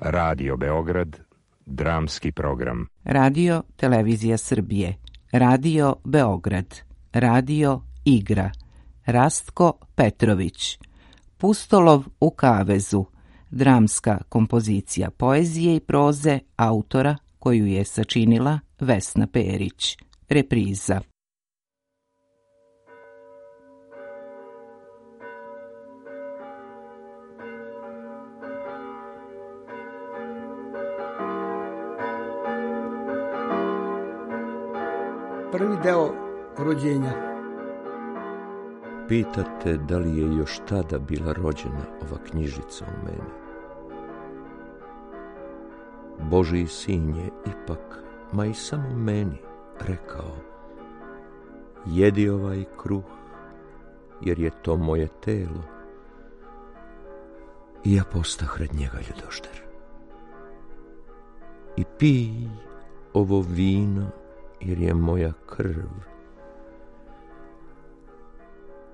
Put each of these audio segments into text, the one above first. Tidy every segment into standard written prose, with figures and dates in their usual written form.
Radio Beograd, dramski program. Radio Televizija Srbije, Radio Beograd, Radio Igra, Rastko Petrović, Pustolov u kavezu, dramska kompozicija poezije i proze autora koju je sačinila Vesna Perić, repriza. Prvi deo rođenja. Pitate da li je još tada bila rođena ova knjižica u meni. Božji sin je ipak, ma i samo meni, rekao: jedi ovaj kruh, jer je to moje telo. I ja postah red njega ljudožder. I pij ovo vino, jer je moja krv.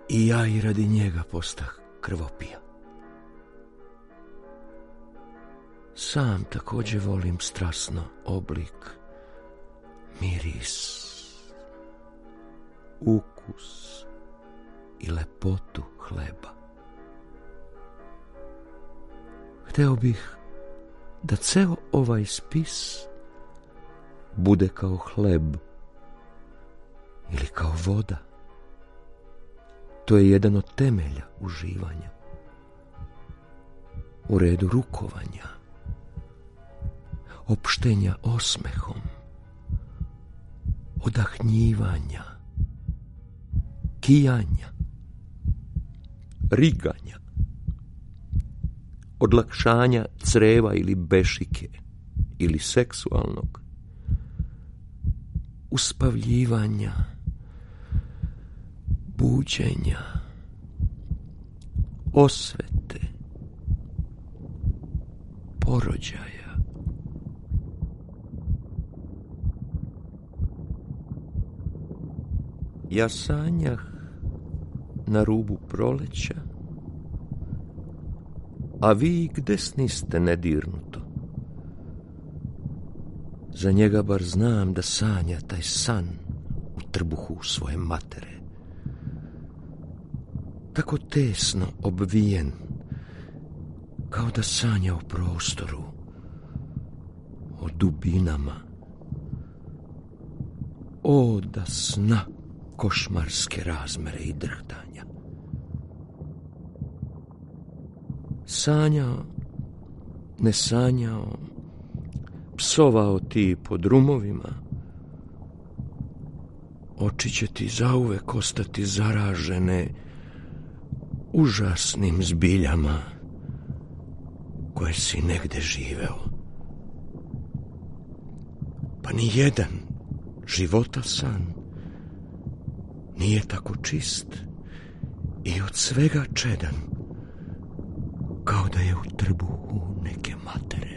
I ja i radi njega postah krvopija. Sam također volim strasno oblik, miris, ukus i lepotu hleba. Hteo bih da ceo ovaj spis bude kao hleb ili kao voda. To je jedan od temelja uživanja. U redu rukovanja, opštenja osmehom, odahnjivanja, kijanja, riganja, odlakšanja creva ili bešike ili seksualnog, uspavljivanja, buđenja, osvete, porođaja. Ja sanjah na rubu proleća, a vi gde sniste nedirnuto? Za njega bar znam da sanja taj san u trbuhu svoje matere. Tako tesno obvijen, kao da sanja o prostoru, o dubinama. O, da sna košmarske razmere i drhtanja. Sanjao, ne sanjao, psovao ti po drumovima, oči će ti zauvek ostati zaražene užasnim zbiljama koje si negde živeo. Pa ni jedan života san nije tako čist i od svega čedan, kao da je u trbuhu neke matere.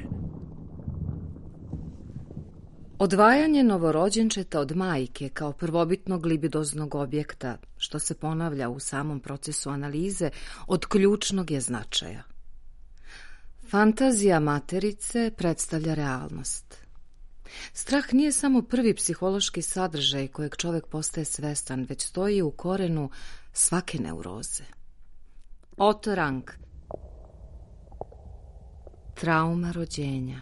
Odvajanje novorođenčeta od majke kao prvobitnog libidoznog objekta, što se ponavlja u samom procesu analize, od ključnog je značaja. Fantazija materice predstavlja realnost. Strah nije samo prvi psihološki sadržaj kojeg čovjek postaje svestan, već stoji u korenu svake neuroze. Otto Rank. Trauma rođenja.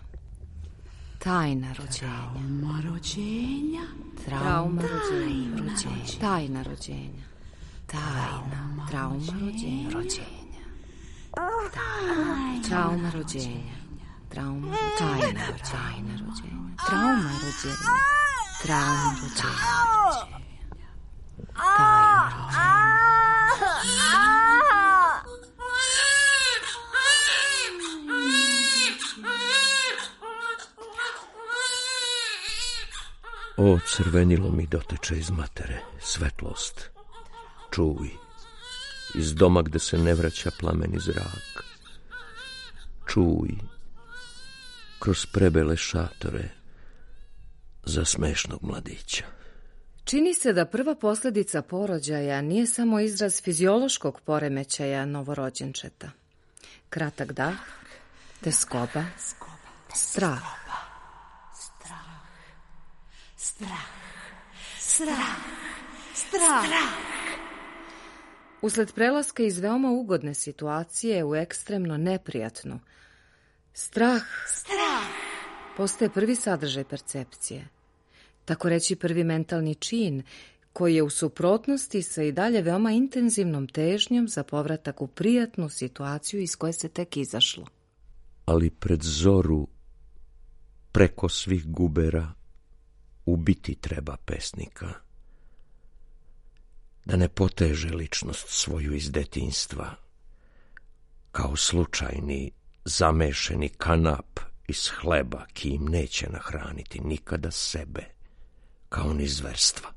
Tajna rođenja. Trauma rođenja. Trauma rođenja. Tajna rođenja. Trauma rođenja. Trauma rođenja. Tajna rođenja. Trauma rođenja. Trauma rođenja. Tajna rođenja. O, crvenilo mi doteče iz matere, svetlost, čuj, iz doma gde se ne vraća plameni zrak. Čuj, kroz prebele šatore za smešnog mladića. Čini se da prva posljedica porođaja nije samo izraz fiziološkog poremećaja novorođenčeta. Kratak dah, teskoba, Strah. Usled prelaska iz veoma ugodne situacije u ekstremno neprijatnu, strah postaje prvi sadržaj percepcije. Tako reći prvi mentalni čin, koji je u suprotnosti sa i dalje veoma intenzivnom težnjom za povratak u prijatnu situaciju iz koje se tek izašlo. Ali pred zoru, preko svih gubera, ubiti treba pesnika. Da ne poteže ličnost svoju iz detinjstva, kao slučajni, zamešeni kanap iz hleba, ki im neće nahraniti nikada sebe, kao ni zverstva.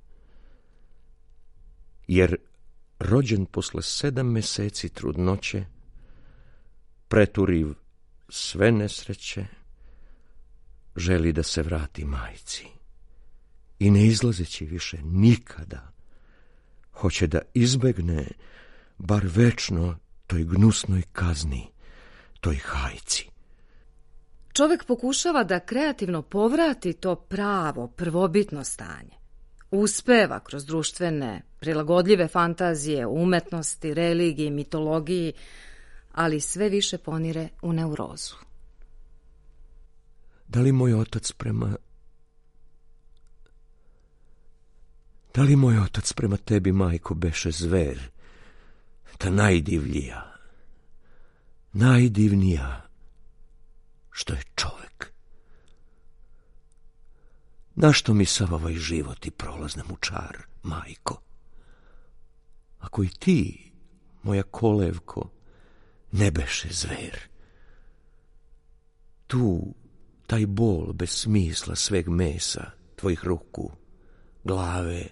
Jer rođen posle 7 meseci trudnoće, preturiv sve nesreće, želi da se vrati majci i ne izlazeći više nikada, hoće da izbegne bar večno toj gnusnoj kazni, toj hajci. Čovek pokušava da kreativno povrati to pravo, prvobitno stanje. Uspeva kroz društvene, prilagodljive fantazije, umetnosti, religiji, mitologiji, ali sve više ponire u neurozu. Da li moj otac prema tebi, majko, beše zver, ta najdivnija, što je čovek? Našto mi sav ovaj život i prolazne mu čar, majko? Ako i ti, moja kolevko, ne beše zver, tu taj bol bez smisla sveg mesa, tvojih ruku, glave,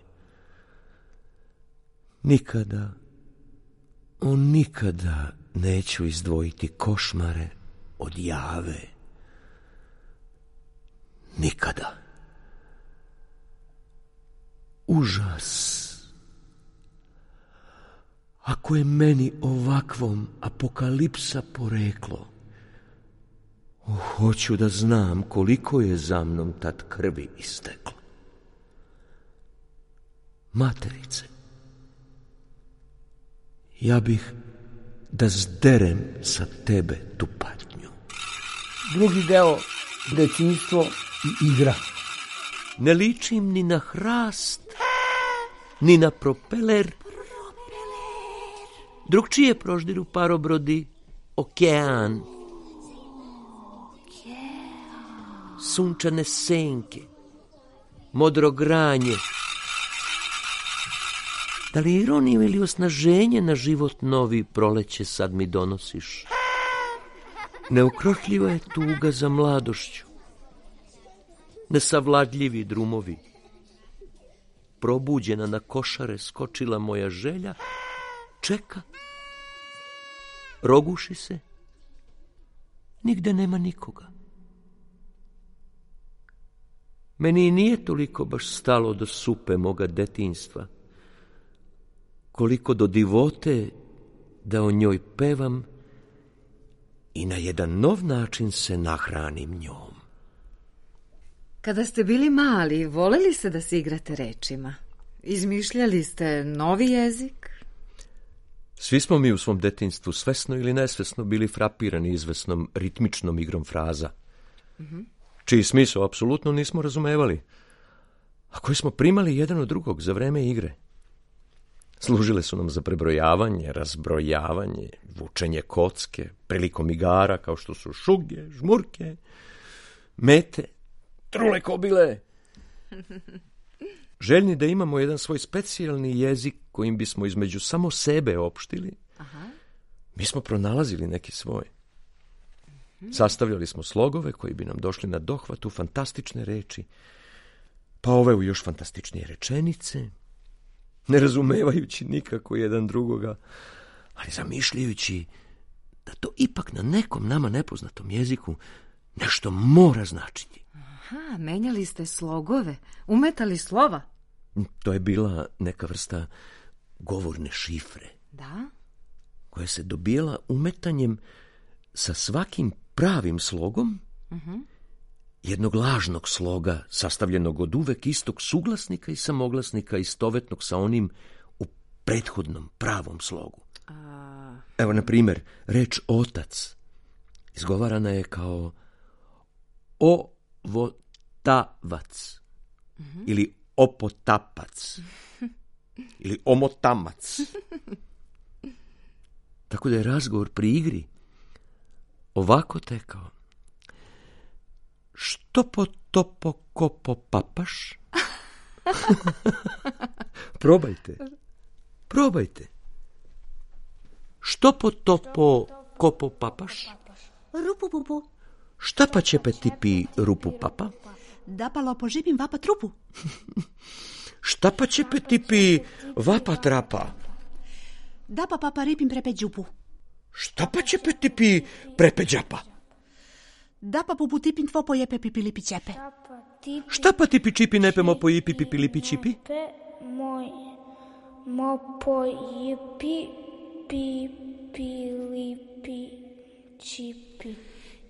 nikada neću izdvojiti košmare od jave. Nikada. Užas. Ako je meni ovakvom apokalipsa poreklo, hoću da znam koliko je za mnom tad krvi isteklo. Materice, ja bih da zderem sa tebe tu patnju. Drugi deo, detinjstvo i igra. Ne ličim ni na hrast, ni na propeler. Drugčije proždiru parobrodi okean. Sunčane senke, modro granje. Da li ironiju ili osnaženje na život novi proleće sad mi donosiš? Neukrotljiva je tuga za mladošću, nesavladljivi drumovi. Probuđena na košare skočila moja želja, čeka, roguši se, nigde nema nikoga. Meni nije toliko baš stalo do supe moga detinjstva, koliko do divote da o njoj pevam i na jedan nov način se nahranim njom. Kada ste bili mali, voleli ste da se igrate rečima? Izmišljali ste novi jezik? Svi smo mi u svom detinjstvu svesno ili nesvesno bili frapirani izvesnom ritmičnom igrom fraza, čiji smisao apsolutno nismo razumevali, a koji smo primali jedan od drugog za vreme igre. Služile su nam za prebrojavanje, razbrojavanje, vučenje kocke, prilikom igara kao što su šuge, žmurke, mete, trule kobile. Željni da imamo jedan svoj specijalni jezik kojim bismo između samo sebe opštili, mi smo pronalazili neki svoj. Sastavljali smo slogove koji bi nam došli na dohvat u fantastične reči, pa ove u još fantastičnije rečenice, ne razumevajući nikako jedan drugoga, ali zamišljajući da to ipak na nekom nama nepoznatom jeziku nešto mora značiti. Aha, menjali ste slogove, umetali slova. To je bila neka vrsta govorne šifre. Da? Koja se dobijala umetanjem sa svakim pravim slogom jednog lažnog sloga, sastavljenog od uvek istog suglasnika i samoglasnika, istovetnog sa onim u prethodnom pravom slogu. Evo, na primjer, reč otac izgovarana je kao ovotavac, ili opotapac, ili omotamac. Tako da je razgovor pri igri ovako tekao. Što po topo kopo papaš? Probajte. Što po topo kopo papaš? Rupu pupu. Šta pa će tipi rupu papa? Da pa lopo žipim vapa trupu. Šta pa će tipi vapa trapa? Da pa papa ripim prepe džupu. Šta pa će tipi prepe džapa? Da pa pupu tipin tvo pojepe pipilipi ćepe. Šta pa tipi čipi nepemo po ipi pipilipi čipi? Mo pojepi pipilipi čipi.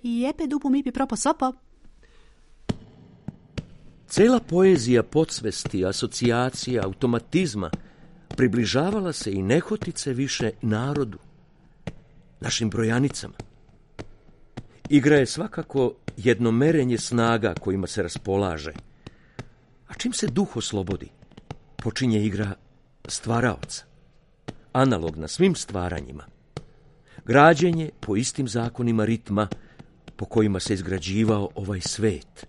Jepe dupu mipi propo sopo. Cela poezija podsvesti, asocijacija, automatizma približavala se i nehotice više narodu, našim brojanicama. Igra je svakako jedno merenje snaga kojima se raspolaže, a čim se duh oslobodi, počinje igra stvaraoca, analogna svim stvaranjima, građenje po istim zakonima ritma po kojima se izgrađivao ovaj svet.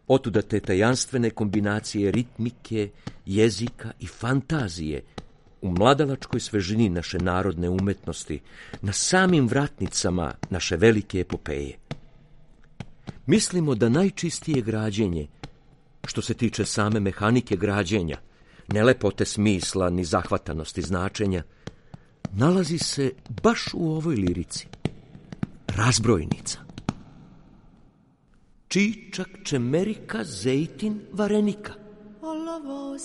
Otuda te tajanstvene kombinacije ritmike, jezika i fantazije u mladalačkoj svežini naše narodne umetnosti, na samim vratnicama naše velike epopeje. Mislimo da najčistije građenje, što se tiče same mehanike građenja, ne lepote smisla ni zahvatanosti značenja, nalazi se baš u ovoj lirici. Razbrojnica. Čičak, čemerika, zejtin, varenika. Olovo,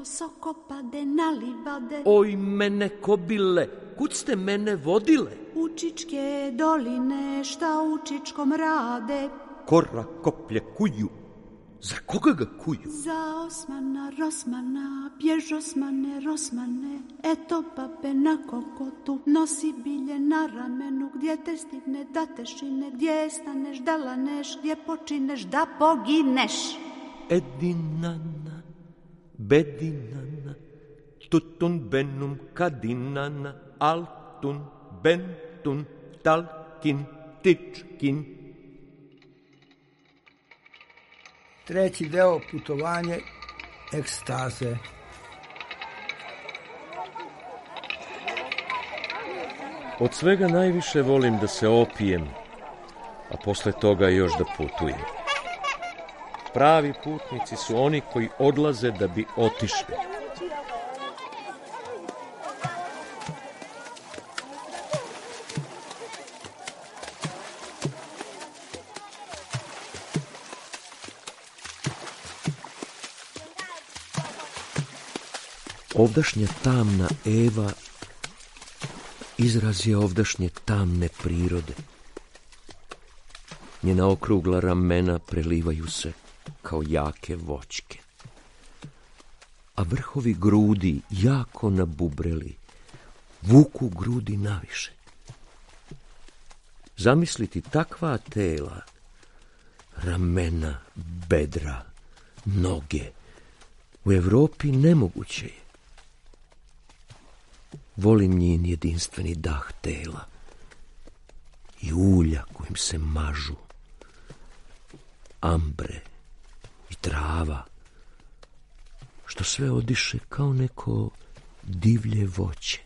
soko, pade na livade. Oj, mene kobile, kud ste mene vodile? Učičke doline, šta učičkom rade? Kora koplje kuju. Za koga ga kuju? Za Osmana, Rosmana, bjež Osmane, Rosmane. Eto babe na kokotu, nosi bilje na ramenu. Gdje te stigne da te šine, gdje staneš da laneš, gdje počineš da pogineš. Edinana, bedinana, tutun benum kadinana, altun, bentun, talkin, tičkin. Treći deo, putovanje ekstaze. Od svega najviše volim da se opijem, a posle toga još da putujem. Pravi putnici su oni koji odlaze da bi otišli. Ovdašnja tamna Eva izraz je ovdašnje tamne prirode. Njena okrugla ramena prelivaju se kao jake voćke, a vrhovi grudi jako nabubreli, vuku grudi naviše. Zamisliti takva tela, ramena, bedra, noge, u Evropi nemoguće je. Volim njen jedinstveni dah tela i ulja kojim se mažu, ambre i trava, što sve odiše kao neko divlje voće.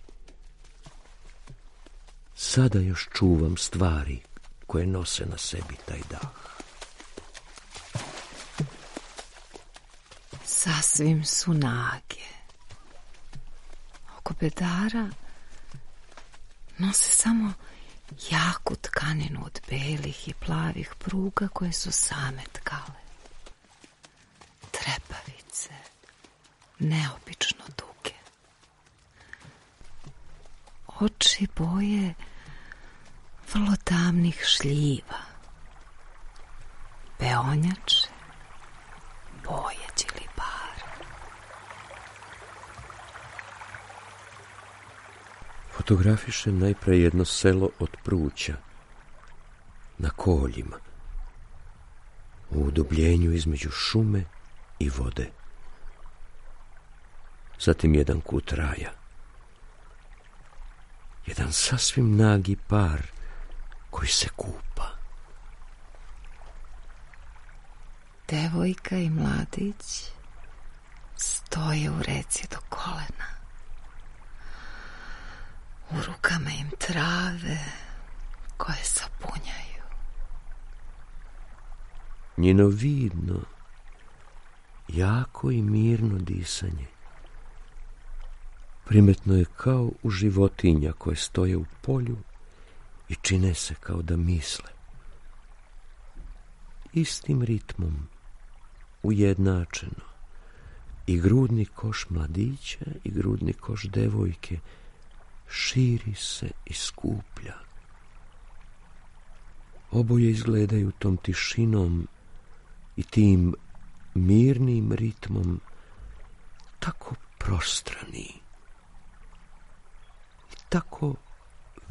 Sada još čuvam stvari koje nose na sebi taj dah. Sasvim su nage. Oko bedara nose samo jaku tkaninu od belih i plavih pruga koje su same tkale. Trepavice, neobično duge. Oči boje vrlo tamnih šljiva. Peonjače, pojeđili bar. Fotografiše najpre jedno selo od pruća, na koljima, u udubljenju između šume i vode. Zatim jedan kut raja. Jedan sasvim nagi par koji se kupa. Devojka i mladić stoje u reci do kolena. U rukama im trave koje sapunjaju. Njeno vidno, jako i mirno disanje primetno je kao u životinja koje stoje u polju i čine se kao da misle. Istim ritmom, ujednačeno, i grudni koš mladića i grudni koš devojke širi se i skuplja. Oboje izgledaju tom tišinom i tim mirnim ritmom tako prostrani i tako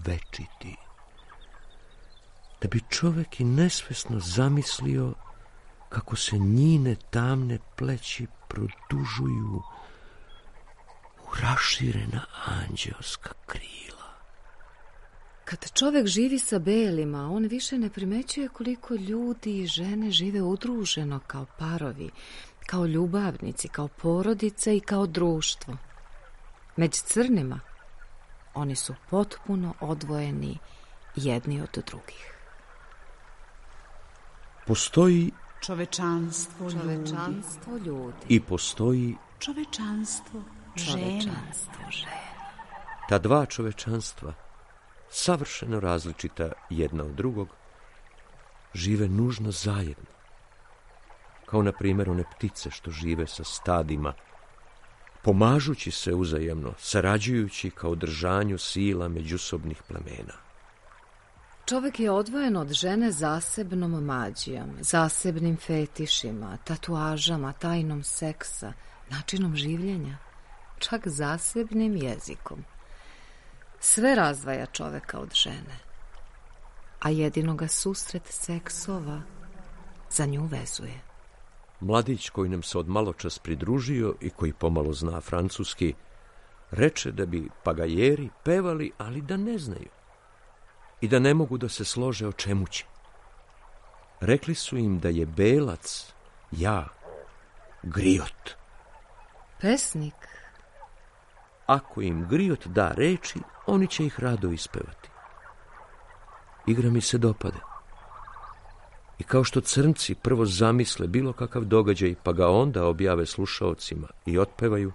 večiti, da bi čovjek i nesvesno zamislio kako se njine tamne pleći produžuju u raširena anđeoska krila. Kad čovjek živi sa belima, on više ne primećuje koliko ljudi i žene žive udruženo kao parovi, kao ljubavnici, kao porodice i kao društvo. Među crnima oni su potpuno odvojeni jedni od drugih. Postoji Čovečanstvo ljudi. I postoji Čovečanstvo žena. ta dva čovečanstva, savršeno različita jedna od drugog, žive nužno zajedno. Kao na primjer one ptice što žive sa stadima, pomažući se uzajemno, sarađujući kao držanju sila međusobnih plemena. Čovjek je odvojen od žene zasebnom mađijom, zasebnim fetišima, tatuažama, tajnom seksa, načinom življenja, čak zasebnim jezikom. Sve razdvaja čovjeka od žene, a jedino ga susret seksova za nju vezuje. Mladić koji nam se od maločas pridružio i koji pomalo zna francuski, reče da bi pagajeri pevali, ali da ne znaju i da ne mogu da se slože o čemu će. Rekli su im da je belac, ja, griot. Pesnik? Ako im griot da reči, oni će ih rado ispevati. Igra mi se dopade. I kao što crnci prvo zamisle bilo kakav događaj, pa ga onda objave slušaocima i otpevaju,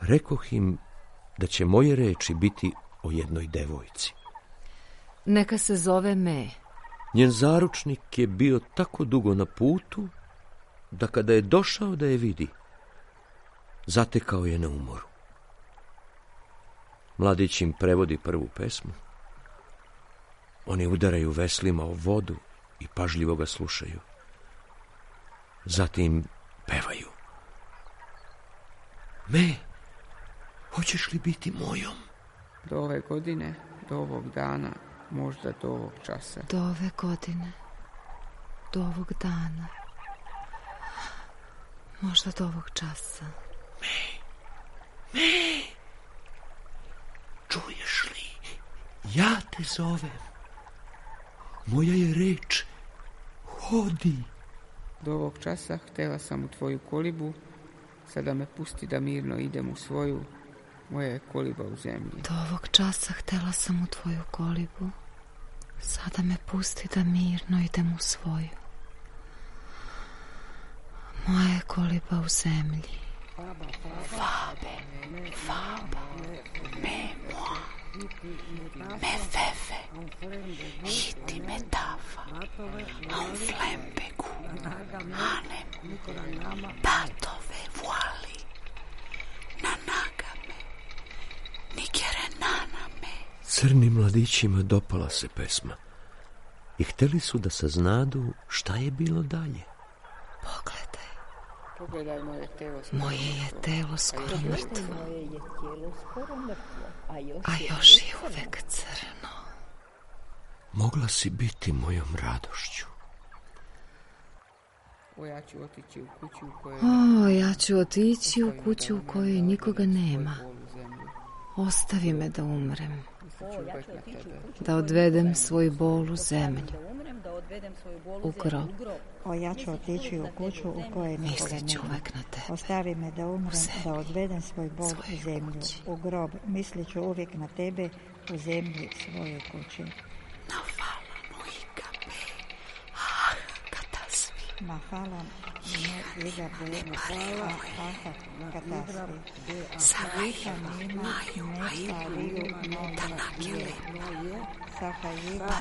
rekoh im da će moje reči biti o jednoj devojci. Neka se zove Me. Njen zaručnik je bio tako dugo na putu, da kada je došao da je vidi, zatekao je na umoru. Mladić im prevodi prvu pesmu. Oni udaraju veslima o vodu i pažljivo ga slušaju. Zatim pevaju. Me, hoćeš li biti mojom? Do ove godine, do ovog dana, možda do ovog časa. Do ove godine, do ovog dana, možda do ovog časa. Me, čuješ li? Ja te zovem. Moja je reč, hodi. Do ovog časa htjela sam u tvoju kolibu, sada me pusti da mirno idem u svoju, moja je koliba u zemlji. Do ovog časa htjela sam u tvoju kolibu, sada me pusti da mirno idem u svoju. Moja je koliba u zemlji. Fabe, me moi, me feve, hiti me tafa, an flembegu, anem, tatove voali, na nagame, nikere naname. Crnim mladićima dopala se pesma. i hteli su da saznadu šta je bilo dalje. Pogledaj moje telo. Moje je telo skoro mrtvo, a još je uvek crno. Mogla si biti mojom radošću. Ja ću otići u kuću u kojoj... Ja ću otići u kuću u kojoj nikoga nema. Ostavi me da umrem. Da odvedem svoju bol u zemlju. U grob. Ja ću otići u kuću u kojoj nikoga nema. Ostavi me da umrem, da odvedem svoj bol u zemlju. U grob. Mislit ću uvijek na tebe u zemlji svoje kuće. Mahalam igabe hvala katasvi. Savika nima nepariju tanakile. Sakajiva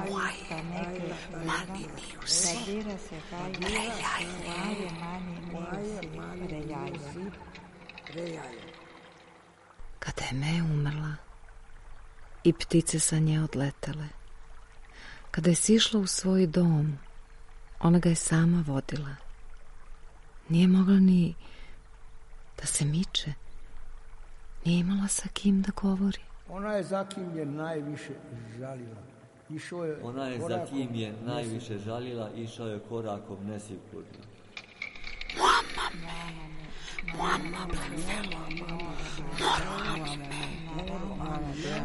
muaj taneke maniniusi. Sadira se hajde maniniusi rejaje. Kada je Me umrla i ptice sa nje odletele, kada je sišla u svoj dom, ona ga je sama vodila. Nije mogla ni da se miče. Nije imala sa kim da govori. Ona je za kim je najviše žalila. Išao je korakom nesigurno. Muamma benvelo, moramime,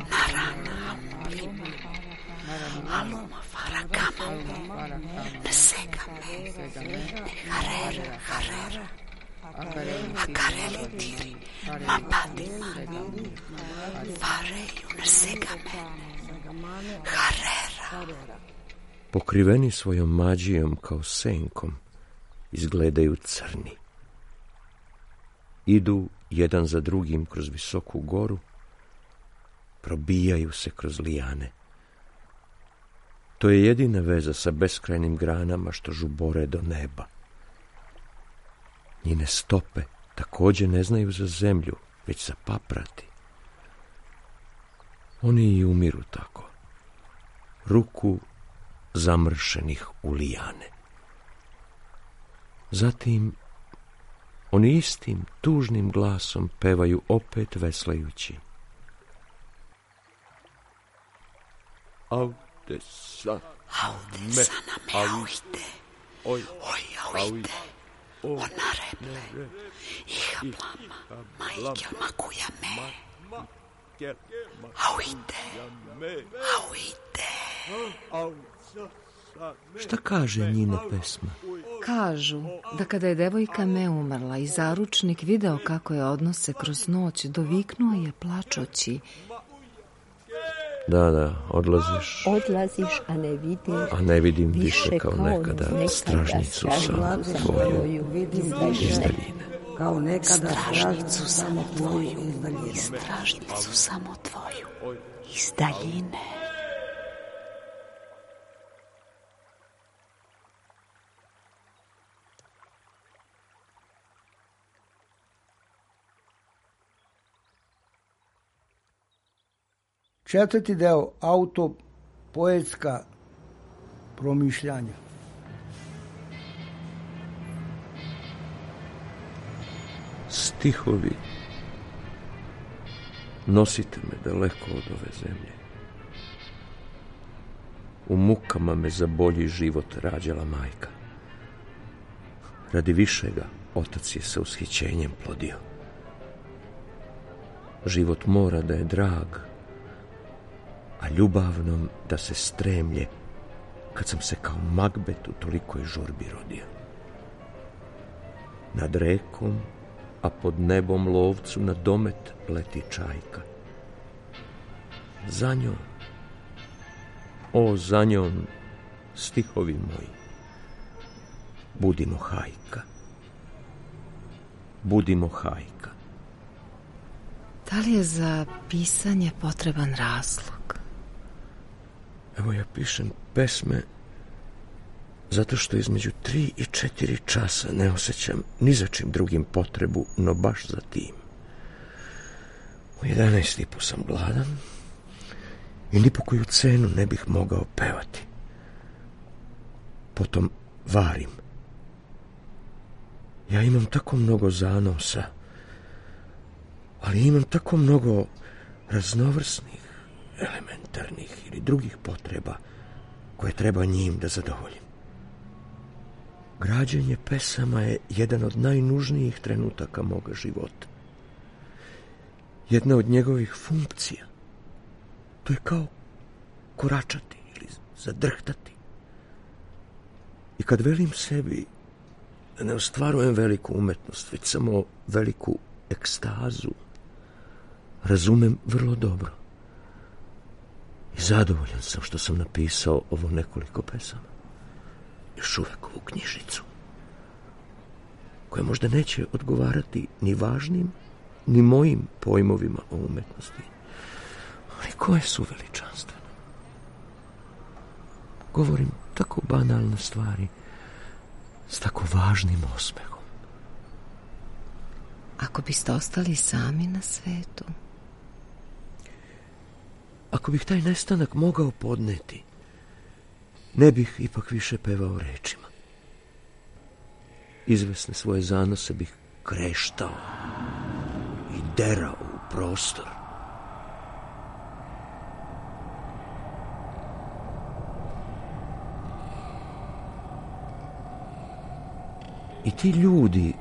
naranamime, aluma farakama, nesegame, harera, akareli tiri, mapadima, fareju nesegame, harera. Pokriveni svojom mađijom kao senkom, izgledaju crni. Idu jedan za drugim kroz visoku goru, probijaju se kroz lijane. To je jedina veza sa beskrajnim granama što žubore do neba. Njene stope također ne znaju za zemlju, već za paprati. Oni i umiru tako, ruku zamršenih u lijane. Zatim oni istim tužnim glasom pevaju opet veslajući. Aude sa me auide, oj auide, ona reble, iha plama, majke makuja me. Auide. Šta kaže njina pesma? Kažu da kada je devojka Me umrla i zaručnik video kako je odnose kroz noć, doviknuo je plačući. Da, odlaziš. Odlaziš, a ne vidim više kao nekada stražnicu samo tvoju iz daljine. Kao nekada stražnicu samo tvoju iz daljine. Četvrti deo, autopoetska promišljanja. Stihovi, nosite me daleko od ove zemlje. U mukama me za bolji život rađala majka. Radi višega, otac je sa ushićenjem plodio. Život mora da je drag, a ljubavnom da se stremlje, kad sam se kao Magbet u tolikoj žurbi rodio. Nad rekom, a pod nebom lovcu na domet leti čajka. Za njom, za njom, stihovi moji, budimo hajka. Budimo hajka. Da li je za pisanje potreban razlog? Evo ja pišem pesme zato što između 3 i 4 časa ne osjećam ni za čim drugim potrebu, no baš za tim. U 11:30 sam gladan i ni po koju cenu ne bih mogao pevati. Potom varim. Ja imam tako mnogo zanosa, ali imam tako mnogo raznovrsnih, elementarnih ili drugih potreba koje treba njim da zadovoljim. Građenje pesama je jedan od najnužnijih trenutaka moga života. Jedna od njegovih funkcija. To je kao koračati ili zadrhtati. I kad velim sebi da ne ostvarujem veliku umetnost, već samo veliku ekstazu, razumem vrlo dobro. I zadovoljan sam što sam napisao ovo nekoliko pesama. Još uvek ovu knjižicu, koja možda neće odgovarati ni važnim, ni mojim pojmovima o umetnosti, ali koje su veličanstvene. Govorim tako banalne stvari s tako važnim osmehom. Ako biste ostali sami na svetu? Ako bih taj nestanak mogao podneti, ne bih ipak više pevao rečima. Izvesne svoje zanose bih kreštao i derao u prostor. I ti ljudi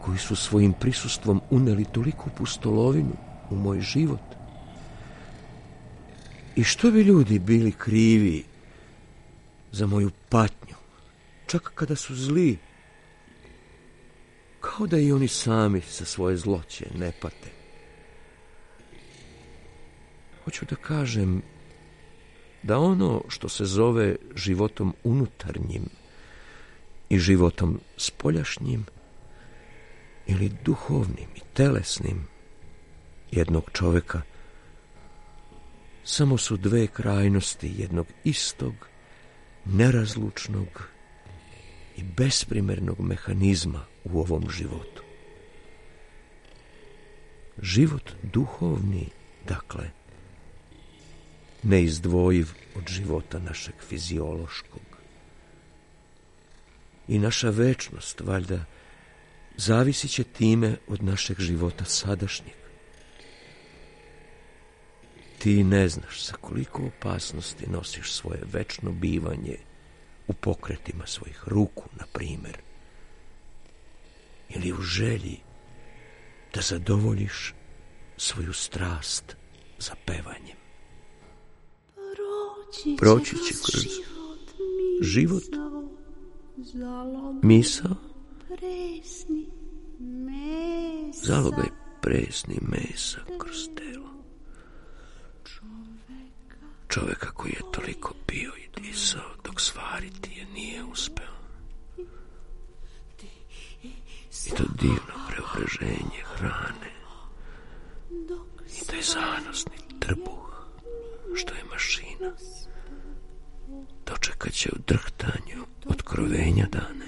koji su svojim prisustvom uneli toliku pustolovinu u moj život, i što bi ljudi bili krivi za moju patnju, čak kada su zli, kao da i oni sami sa svoje zloće ne pate. Hoću da kažem da ono što se zove životom unutarnjim i životom spoljašnjim ili duhovnim i telesnim jednog čoveka samo su dve krajnosti jednog istog, nerazlučnog i besprimernog mehanizma u ovom životu. Život duhovni, dakle, neizdvojiv od života našeg fiziološkog. I naša večnost, valjda, zavisit će time od našeg života sadašnjeg. Ti ne znaš sa koliko opasnosti nosiš svoje večno bivanje u pokretima svojih ruku, na primjer, ili u želji da zadovoljiš svoju strast za pevanjem. Proći će kroz život, misao, zalogaj presni mesa kroz telo. Čoveka koji je toliko pio i disao dok svariti je nije uspeo. I to divno preobraženje hrane i taj zanosni trbuh što je mašina dočekat će u drhtanju otkrovenja dane,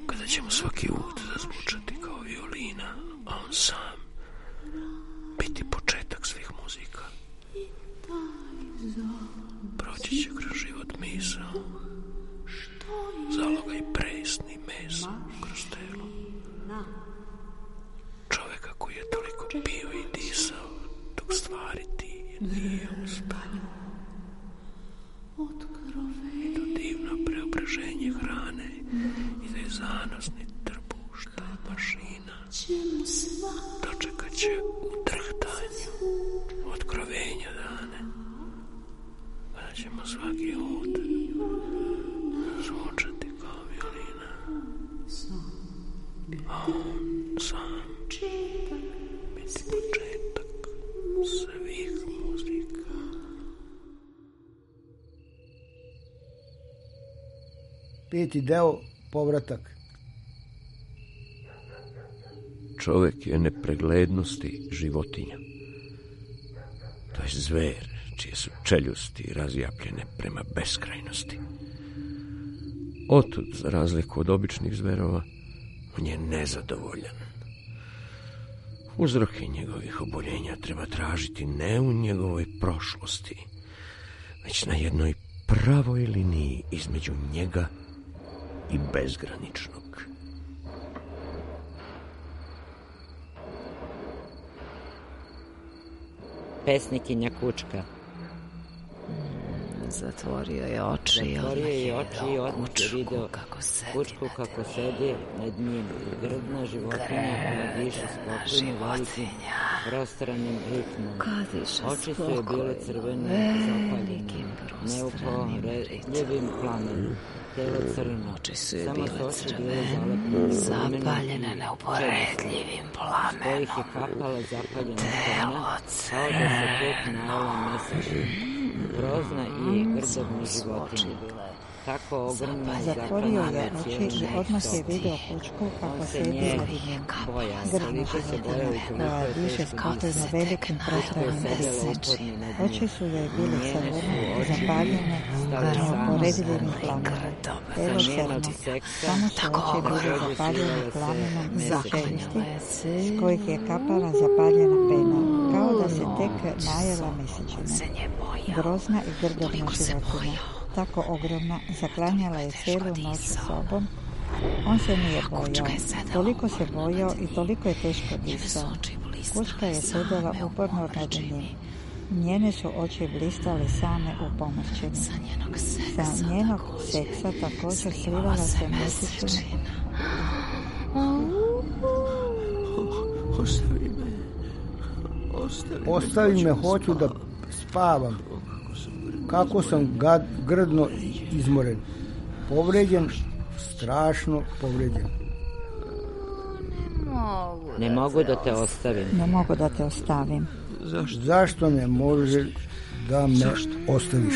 kada ćemo svaki ud zazvučati kao violina, a on sam biti početak svih muzika. Proći će kroz život misao, zalogaj presni mesa kroz telo. Čoveka koji je toliko pio i disao dok stvariti nije uspeo. I to divno preobraženje hrane i da je zanosni trbuh što je mašina dočekat će u drhtanju otkrovenja dane, kada ćemo svaki ud zvučati kao violina, a on sam biti početak svih muzika. Peti deo, povratak. Čovek je nepreglednosti životinja. To je zver čije su čeljusti razjapljene prema beskrajnosti. Otud, za razliku od običnih zverova, on je nezadovoljan. Uzroke njegovih oboljenja treba tražiti ne u njegovoj prošlosti, već na jednoj pravoj liniji između njega i bezgraničnog. Pesnikinja Kučka. Zatvorio je oči i odmah je video Kučku kako sedi nad njim. Grdna životinja koja diše spokojno velikim prostranim ritmom. Oči su je bile crvene, zapaljene, neuporedljivim plamenom. Telo crno, samo su oči bile zapaljene neuporedljivim plamenom. S kojih je kapala zapaljena crna, kao da se tek najela mesečina. Grozna i grdobna životinja. Tako ogromna zatvorio je oči i odmah je video Kučku kako sedi nad njim. Grdna životinja koja diše spokojno velikim prostranim ritmom. Oči su joj bile crvene, zapaljene, neuporedljivim plamenom. Telo crno, samo su oči bile zapaljene plamenom mesečnosti, s kojih je kapala zapaljena pena, kao da se tek najela mesečina. Grozna i grdobna životinja, tako ogromna, zaklanjala je cijelu noć sobom. On se nije bojao, toliko se bojao i toliko je teško disao. Kučka je sedela uporno nad njim. Njene su oči blistale same u pomrčini. Sa njenog seksa također slivala se mesečina. Ostavi me, hoću da spavam. Kako sam grdno izmoren. Povređen, strašno povređen. Ne mogu da te ostavim. Ne mogu da te ostavim. Zašto ne može da me ostaviš?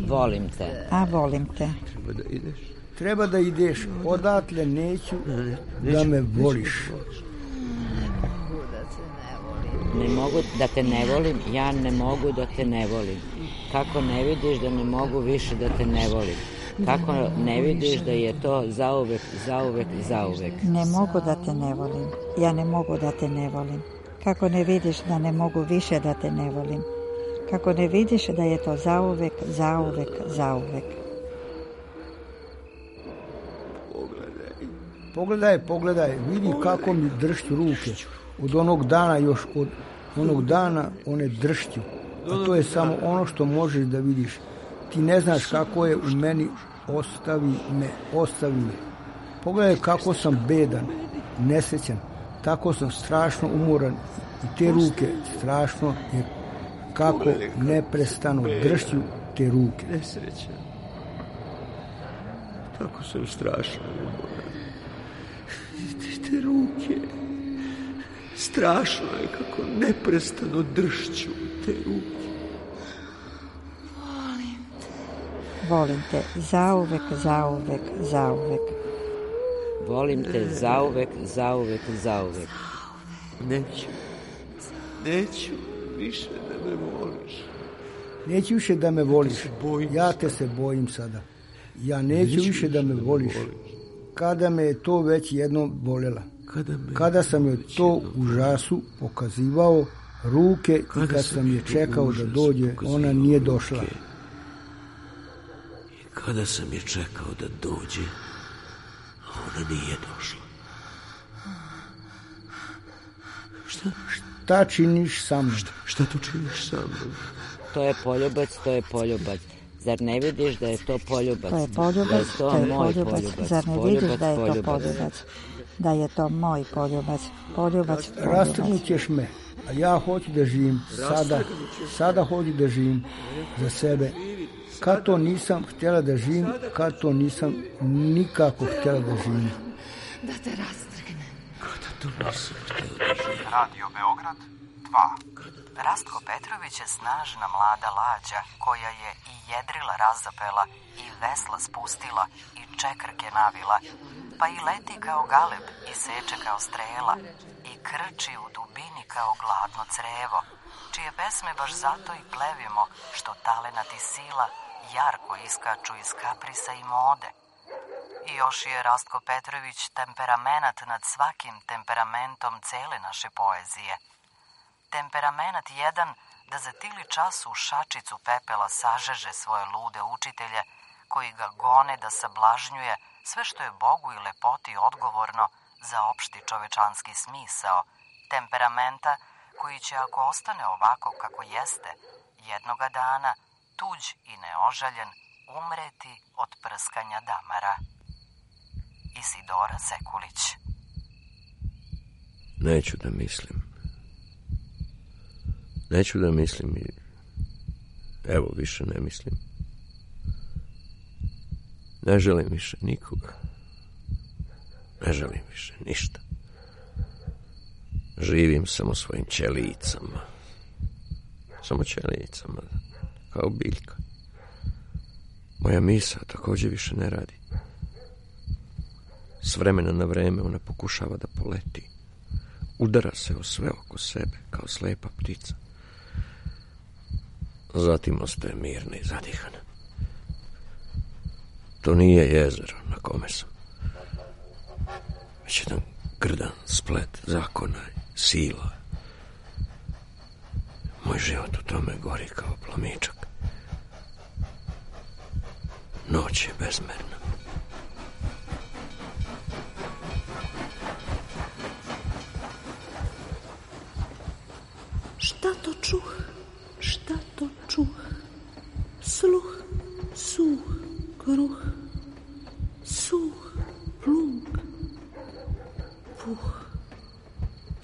Volim te. A volim te. Treba da ideš. Odatle neću da me voliš. Ne mogu da te ne volim, ja ne mogu da te ne volim. Kako ne vidiš da ne mogu više da te ne volim? Kako ne vidiš da je to zauvek, zauvek, zauvek? Ne mogu da te ne volim, ja ne mogu da te ne volim. Kako ne vidiš da ne mogu više da te ne volim? Kako ne vidiš da je to zauvek, zauvek, zauvek? Pogledaj, vidi kako mi dršću ruke. Od onog dana, još od onog dana one dršću. A to je samo ono što možeš da vidiš. Ti ne znaš kako je u meni, ostavi me. Pogledaj kako sam bedan, nesrećan. Tako sam strašno umoran i te ruke strašno je kako neprestano dršću te ruke. Nesrećan. Tako sam strašno umoran. Te ruke. Strašno je kako neprestano dršću te ruke. Volim te, zauvek, zauvek, zauvek. Volim te zauvek, zauvek, zauvek. Neću više da me voliš. Neću više da me voliš. Ja te se bojim sada. Ja neću više da me voliš. Kada me je to već jednom bolela. Kada sam joj to u žasu pokazivao ruke i kad sam je čekao da dođe, ona nije došla. I kada sam je čekao da dođe, ona nije došla. Šta činiš sa mnom? Šta to činiš sa mnom? To je poljubac. Zar ne vidiš da je to poljubac? To je poljubac, to je poljubac. Zar ne vidiš da je to poljubac? Da je to moj poljubac. Poljubac. Rastrgnut ćeš me, a ja hoću da živim sada hoću da živim za sebe. Kad to nisam htjela da živim, kad to nisam nikako htjela da živim. Da te rastrgnem. Kada to nisam htjela da živim. Radio Beograd 2. Rastko Petrović je snažna mlada lađa koja je i jedrila razapela i vesla spustila i čekrke navila, pa i leti kao galeb i seče kao strela i krči u dubini kao gladno crevo, čije pesme baš zato i plevimo što talenat i sila jarko iskaču iz kaprisa i mode. I još je Rastko Petrović temperamenat nad svakim temperamentom cele naše poezije. Temperamenat jedan da za tili čas u šačicu pepela sažeže svoje lude učitelje koji ga gone da sablažnjuje sve što je Bogu i lepoti odgovorno za opšti čovečanski smisao, temperamenta koji će, ako ostane ovako kako jeste, jednoga dana, tuđ i neožaljen, umreti od prskanja damara. Isidora Sekulić. Neću da mislim i evo više ne mislim. Ne želim više nikoga. Ne želim više ništa. Živim samo svojim ćelijicama. Samo ćelijicama, kao biljka. Moja misa također više ne radi. S vremena na vreme ona pokušava da poleti. Udara se o sve oko sebe, kao slepa ptica. Zatim ostaje mirna i zadihana. To nije jezero na kome sam. Već jedan grdan splet zakona i sila. Moj život u tome gori kao plamičak. Noć je bezmerna. Šta to čuh? Šta to čuh? Sluh, suh, kruh, suh, plug, puh,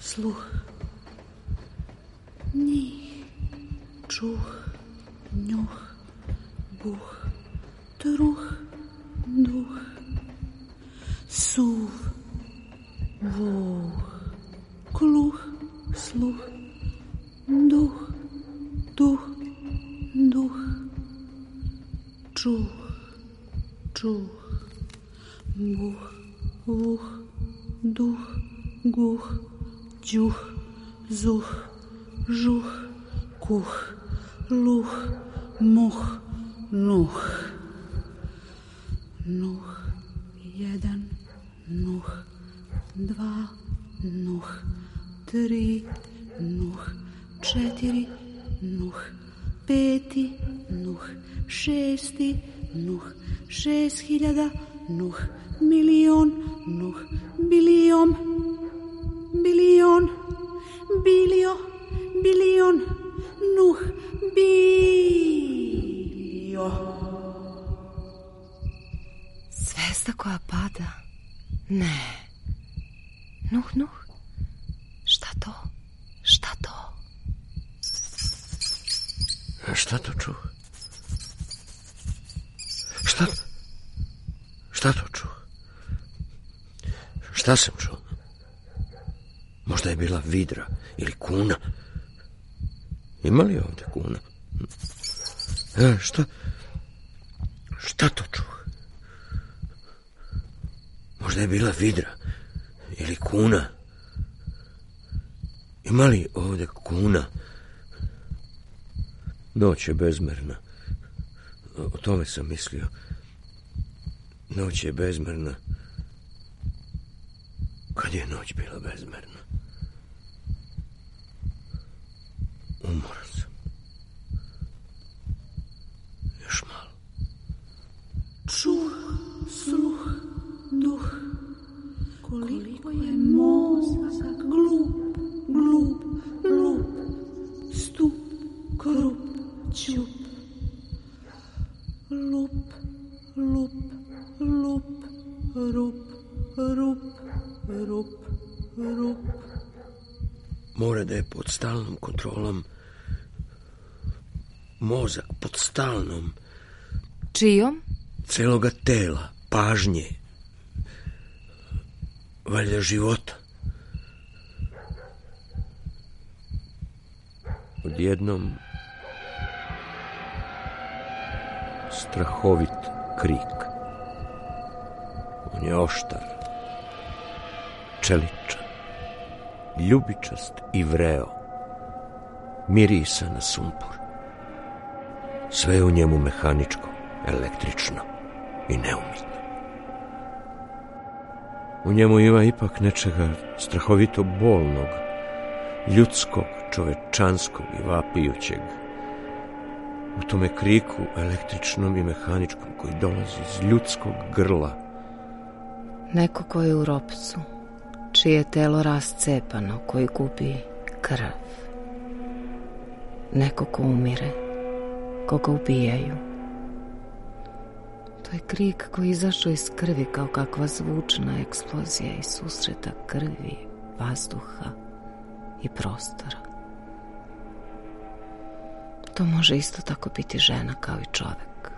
sluh, njih, čuh, njuh, buh, truh, duh, suv, vuh, kluh, sluh, duh, duh, duh, čuh, čuh, buh, vuh, duh, guh, đuh, zuh, žuh, kuh, luh, muh, nuh. Nuh, jedan, nuh, dva, nuh, tri, nuh, četiri, nuh, peti, nuh, šesti, nuh, 6.000, nuh, milion, nuh, bilion, bilion, bilio, bilion, nuh, bilio. Zvezda koja pada? Ne. Nuh, nuh. Šta to? Šta to? Šta to čuh? Šta to čuh? Šta sam čuo? Možda je bila vidra ili kuna. Ima li ovdje kuna? Šta to čuh? Možda je bila vidra ili kuna. Ima li ovdje kuna? Noć je bezmerna. O tome sam mislio. Noć je bezmerna. Kad je noć bila bezmerna? Umoran sam. Još malo. Čuh, sluh, duh. Koliko je mozak glup, glup, lup. Stup, krup, ćup. Lup, lup, lup, rup, rup, rup, rup. Mora da je pod stalnom kontrolom. Mozak pod stalnom. Čijom? Celoga tela, pažnje. Valjda života. Odjednom strahovit krik. On je oštar, čeličan, ljubičast i vreo. Mirisa na sumpor. Sve je u njemu mehaničko, električno i neumitno. U njemu ima ipak nečega strahovito bolnog, ljudskog, čovečanskog i vapijućeg. U tome kriku električnom i mehaničkom koji dolazi iz ljudskog grla. Neko ko je u ropcu, čije je telo rascepano, koji gubi krv. Neko ko umire, koga ubijaju. To je krik koji izašao iz krvi kao kakva zvučna eksplozija iz susreta krvi, vazduha i prostora. To može isto tako biti žena kao i čovek.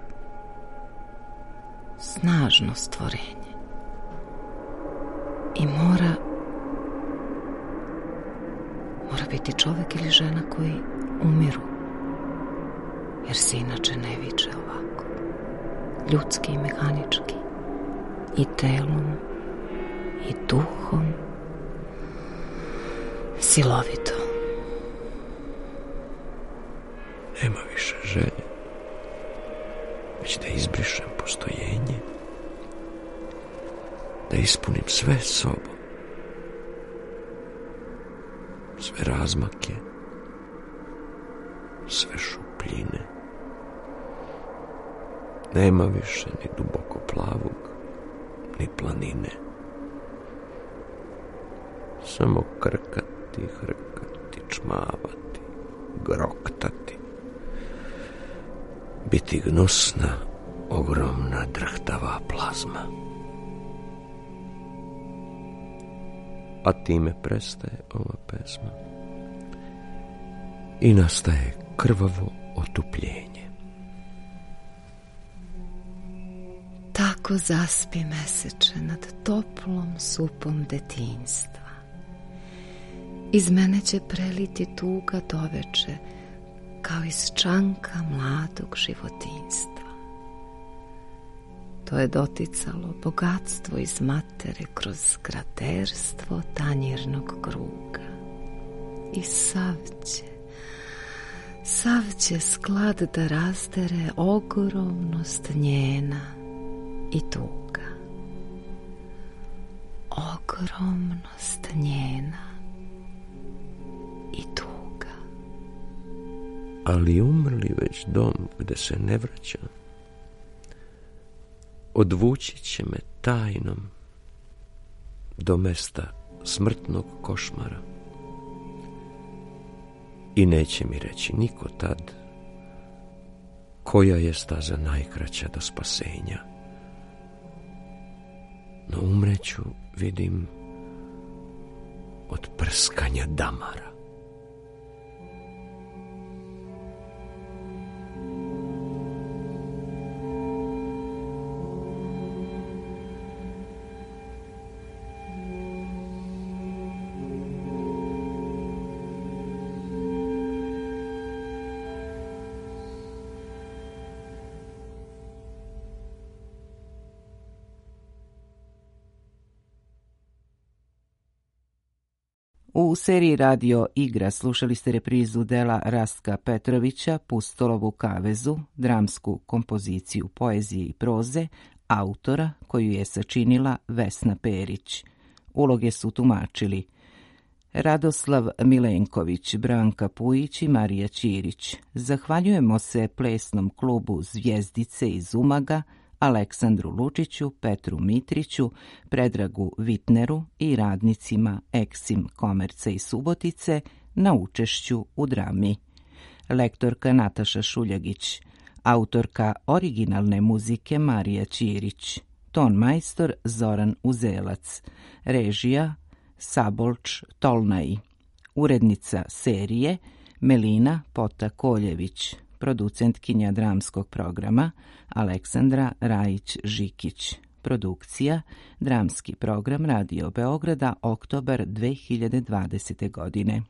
Snažno stvorenje. I mora biti čovek ili žena koji umiru. Jer se inače ne viče ovako. Ljudski i mehanički. I telom. I duhom. Silovito. Nema više želje, već da izbrišem postojenje, da ispunim sve sobom, sve razmake, sve šupljine. Nema više ni duboko plavog, ni planine. Samo krkati, hrkati, čmavati, groktati. Biti gnusna, ogromna, drhtava plazma. A time prestaje ova pesma i nastaje krvavo otupljenje. Tako zaspi meseče nad toplom supom detinjstva. Iz mene će preliti tuga doveče, kao iz čanka mladog životinjstva. To je doticalo bogatstvo iz matere kroz kraterstvo tanjirnog kruga. I sav će sklad da razdere ogromnost njena i tuga. Ogromnost njena i tuga. Ali umrli već dom gde se ne vraća, odvući će me tajnom do mesta smrtnog košmara. I neće mi reći niko tad koja je staza najkraća do spasenja. No umreću, vidim, od prskanja damara. U seriji Radio Igra slušali ste reprizu dela Rastka Petrovića Pustolovu kavezu, dramsku kompoziciju poezije i proze, autora koju je sačinila Vesna Perić. Uloge su tumačili Radoslav Milenković, Branka Pujić i Marija Ćirić. Zahvaljujemo se plesnom klubu Zvjezdice iz Umaga, Aleksandru Lučiću, Petru Mitriću, Predragu Vitneru i radnicima Eksim Komerca i Subotice na učešću u drami. Lektorka Nataša Šuljagić, autorka originalne muzike Marija Ćirić, ton majstor Zoran Uzelac, režija Sabolč Tolnaj, urednica serije Melina Pota-Koljević, producentkinja dramskog programa Aleksandra Rajić-Žikić. Produkcija Dramski program Radio Beograda, oktobar 2020. godine.